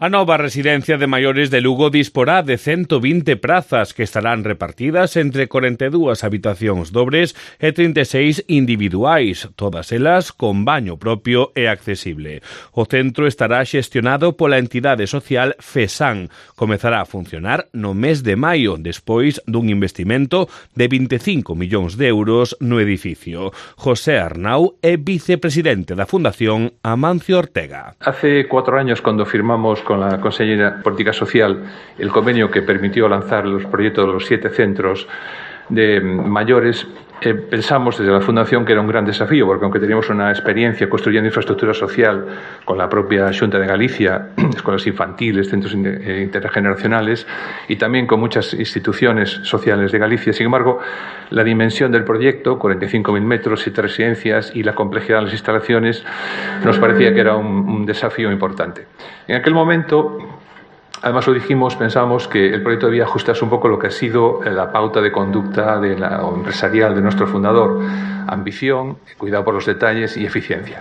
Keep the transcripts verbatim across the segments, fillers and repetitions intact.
A nova residencia de maiores de Lugo disporá de ciento vinte prazas que estarán repartidas entre corenta e dúas habitacións dobres e trinta e seis individuais, todas elas con baño propio e accesible. O centro estará xestionado pola entidade social FESAN. Comezará a funcionar no mes de maio, despois dun investimento de vinte e cinco millóns de euros no edificio. José Arnau é vicepresidente da Fundación Amancio Ortega. Hace cuatro años, cuando firmamos con la Consellera de Política Social el convenio que permitió lanzar los proyectos de los siete centros de mayores, eh, pensamos desde la Fundación que era un gran desafío, porque aunque teníamos una experiencia construyendo infraestructura social con la propia Xunta de Galicia, escuelas infantiles, centros intergeneracionales y también con muchas instituciones sociales de Galicia, sin embargo, la dimensión del proyecto, cuarenta y cinco mil metros, siete residencias y la complejidad de las instalaciones, nos parecía que era un, un desafío importante. En aquel momento, además lo dijimos, pensamos que el proyecto debía ajustarse un poco a lo que ha sido la pauta de conducta de la, o empresarial de nuestro fundador: ambición, cuidado por los detalles y eficiencia.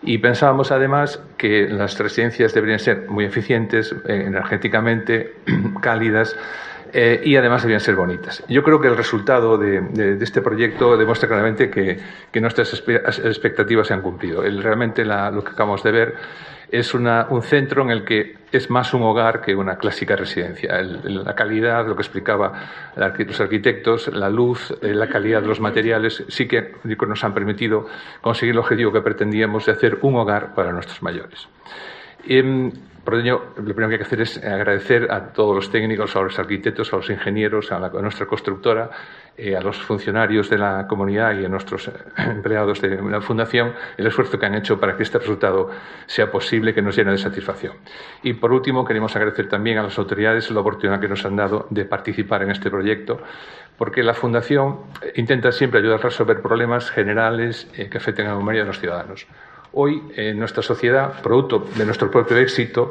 Y pensábamos además que las residencias deberían ser muy eficientes, eh, energéticamente, cálidas, Eh, y además debían ser bonitas. Yo creo que el resultado de, de, de este proyecto demuestra claramente que, que nuestras expectativas se han cumplido. El, realmente la, lo que acabamos de ver es una, un centro en el que es más un hogar que una clásica residencia. El, la calidad, lo que explicaba los arquitectos, la luz, la calidad de los materiales, sí que nos han permitido conseguir el objetivo que pretendíamos de hacer un hogar para nuestros mayores. Eh, Por ello, lo primero que hay que hacer es agradecer a todos los técnicos, a los arquitectos, a los ingenieros, a, la, a nuestra constructora, eh, a los funcionarios de la comunidad y a nuestros eh, empleados de la Fundación el esfuerzo que han hecho para que este resultado sea posible, que nos llene de satisfacción. Y por último, queremos agradecer también a las autoridades la oportunidad que nos han dado de participar en este proyecto, porque la Fundación intenta siempre ayudar a resolver problemas generales eh, que afecten a la mayoría de los ciudadanos. Hoy, en nuestra sociedad, producto de nuestro propio éxito,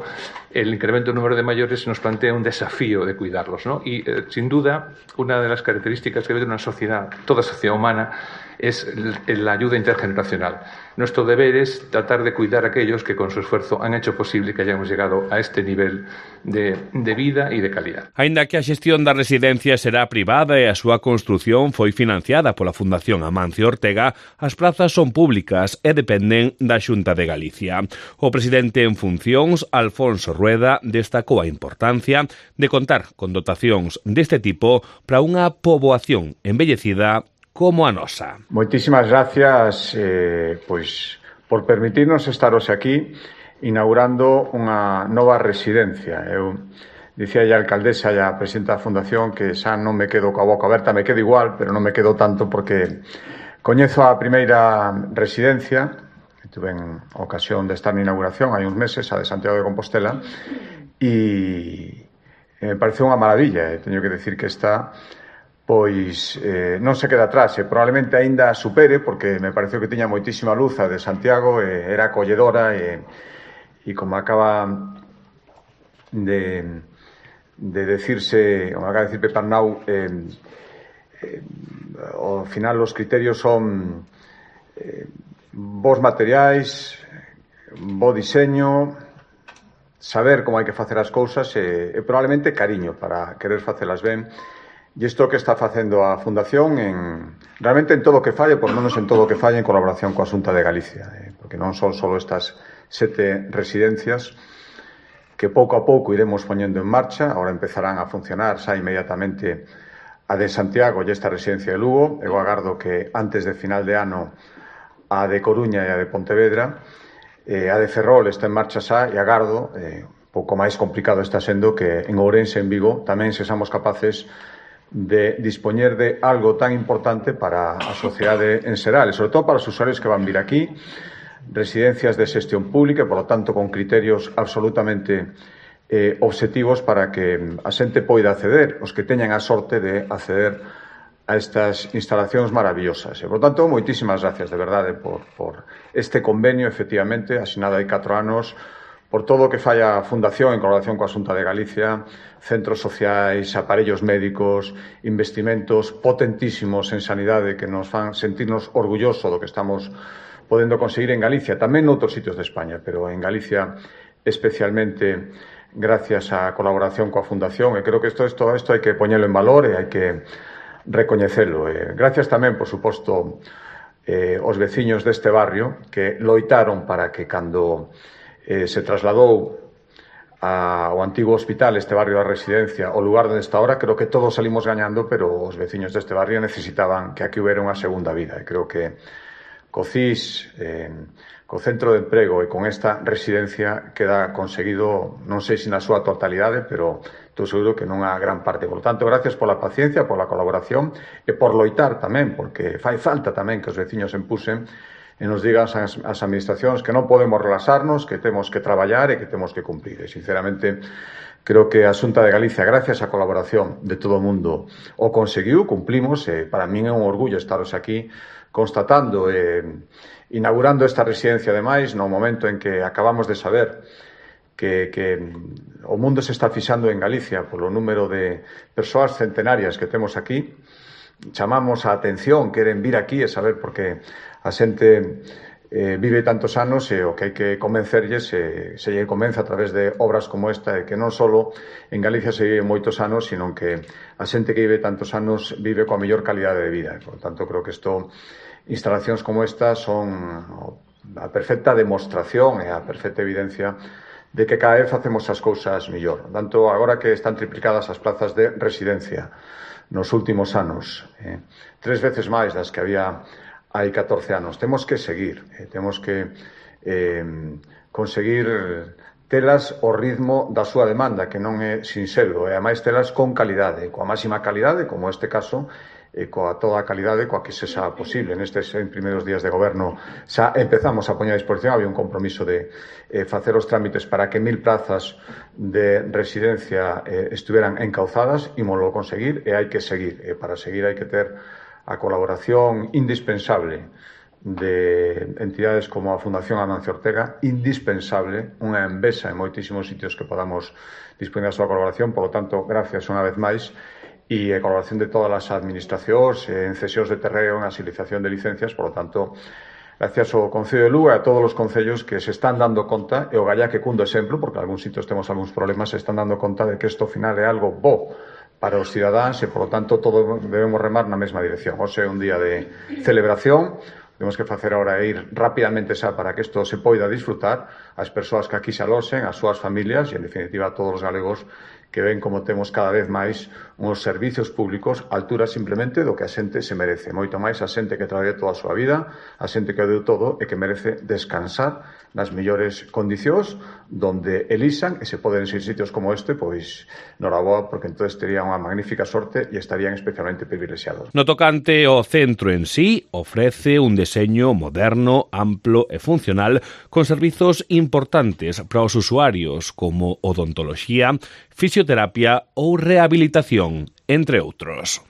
el incremento del número de mayores nos plantea un desafío de cuidarlos, ¿no? Y, eh, sin duda, una de las características que debe tener una sociedad, toda sociedad humana, es la ayuda intergeneracional. Nuestro deber es tratar de cuidar a aquellos que con su esfuerzo han hecho posible que hayamos llegado a este nivel de, de vida e de calidad. Aínda que a xestión da residencia será privada e a súa construción foi financiada pola Fundación Amancio Ortega, as prazas son públicas e dependen da Xunta de Galicia. O presidente en funcións, Alfonso Rueda, destacou a importancia de contar con dotacións deste tipo para unha poboación envellecida como a nosa. Moitísimas gracias eh, pois, por permitirnos estar hoxe aquí inaugurando unha nova residencia. Eu dicía a alcaldesa e a presidenta da Fundación que xa non me quedo coa boca aberta, me quedo igual, pero non me quedo tanto porque coñezo a primeira residencia, tuve en ocasión de estar na inauguración hai uns meses, a de Santiago de Compostela, e me pareceu unha maravilla. Teño que decir que esta pois eh, non se queda atrás e probablemente aínda supere, porque me pareceu que tiña moitísima luz a de Santiago, e era acolledora e, e como acaba de, de decirse, como acaba de decir Pepe Arnau, eh, eh, ao final os criterios son eh, bons materiais, bo diseño, saber como hai que facer as cousas e, e probablemente cariño para querer facelas ben. E isto que está facendo a Fundación en, realmente en todo o que falle, por menos en todo o que falle en colaboración coa Xunta de Galicia, eh, porque non son só estas sete residencias que pouco a pouco iremos poñendo en marcha. Ahora empezarán a funcionar xa inmediatamente a de Santiago e esta residencia de Lugo. Eu agardo que antes de final de ano a de Coruña e a de Pontevedra, eh, a de Ferrol está en marcha xa, e agardo, eh, pouco máis complicado está sendo que en Ourense e en Vigo tamén sexamos capaces de dispoñer de algo tan importante para a sociedade en xeral, e sobre todo para os usuarios que van vir aquí, residencias de xestión pública, e, por lo tanto, con criterios absolutamente eh, obxectivos para que a xente poida acceder, os que teñan a sorte de acceder a estas instalacións maravillosas. E, por tanto, moitísimas gracias, de verdade, por, por este convenio, efectivamente, asinado hai catro anos, por todo o que falla a Fundación en colaboración coa Xunta de Galicia, centros sociais, aparellos médicos, investimentos potentísimos en sanidade que nos fan sentirnos orgullosos do que estamos podendo conseguir en Galicia, tamén noutros sitios de España, pero en Galicia especialmente gracias á colaboración coa Fundación, e creo que isto, isto, isto hai que poñelo en valor e hai que recoñecelo. E gracias tamén, por suposto, eh, os veciños deste barrio que loitaron para que cando eh, se trasladou ao antigo hospital, este barrio da Residencia, o lugar onde está ahora, creo que todos salimos gañando, pero os veciños deste barrio necesitaban que aquí hubiera unha segunda vida. E creo que co C I S, eh, co Centro de Emprego e con esta residencia queda conseguido, non sei se na súa totalidade, pero estou seguro que nunha gran parte. Por tanto, gracias pola paciencia, pola colaboración e por loitar tamén, porque fai falta tamén que os veciños empusen e nos digan as, as administracións que non podemos relaxarnos, que temos que traballar e que temos que cumplir. E, sinceramente, creo que a Xunta de Galicia, gracias á colaboración de todo o mundo, o conseguiu, cumplimos, e para min é un orgullo estaros aquí constatando e inaugurando esta residencia, ademais, no momento en que acabamos de saber que, que o mundo se está fixando en Galicia polo número de persoas centenarias que temos aquí. Chamamos a atención, queren vir aquí e saber por que a xente eh, vive tantos anos e o que hai que convencerlles se, se lle convence a través de obras como esta e que non só en Galicia se vive moitos anos, sino que a xente que vive tantos anos vive coa mellor calidade de vida. Por tanto, creo que isto, instalacións como esta son a perfecta demostración e a perfecta evidencia de que cada vez facemos as cousas mellor. Tanto agora que están triplicadas as plazas de residencia nos últimos anos, eh, tres veces máis das que había hai catorce anos. Temos que seguir, eh, temos que eh, conseguir telas ao ritmo da súa demanda, que non é sinxelo, e ademais telas con calidade, coa máxima calidade, como este caso, e coa toda a calidade coa que se xa posible. Nestes primeiros días de goberno xa empezamos a poñer a disposición, había un compromiso de eh, facer os trámites para que mil plazas de residencia eh, estuveran encauzadas, ímolo conseguir e hai que seguir. E para seguir hai que ter a colaboración indispensable de entidades como a Fundación Amancio Ortega, indispensable, unha envesa en moitísimos sitios que podamos dispoñer a súa colaboración. Por lo tanto, gracias unha vez máis, e a colaboración de todas as administracións en cesións de terreo, en asilización de licencias. Por lo tanto, gracias ao Concello de Lugo e a todos os concellos que se están dando conta, e o Gallá que cundo exemplo, porque en algúns sitios temos algúns problemas, se están dando conta de que isto ao final é algo bo para os cidadáns e, por lo tanto, todos debemos remar na mesma dirección. Hoxe é un día de celebración, temos que facer agora ir rapidamente xa para que isto se poida disfrutar, as persoas que aquí se aloxen, as súas familias e, en definitiva, a todos os galegos que ven como temos cada vez máis uns servicios públicos a altura simplemente do que a xente se merece. Moito máis a xente que traballa toda a súa vida, a xente que deu todo e que merece descansar nas mellores condicións, donde elixan e se poden ir sitios como este, pois, noraboa, porque entonces terían unha magnífica sorte e estarían especialmente privilexiados. No tocante ao centro en sí, ofrece un deseño moderno, amplo e funcional, con servizos importantes para os usuarios, como odontoloxía, fisioterapia ou rehabilitación, entre outros.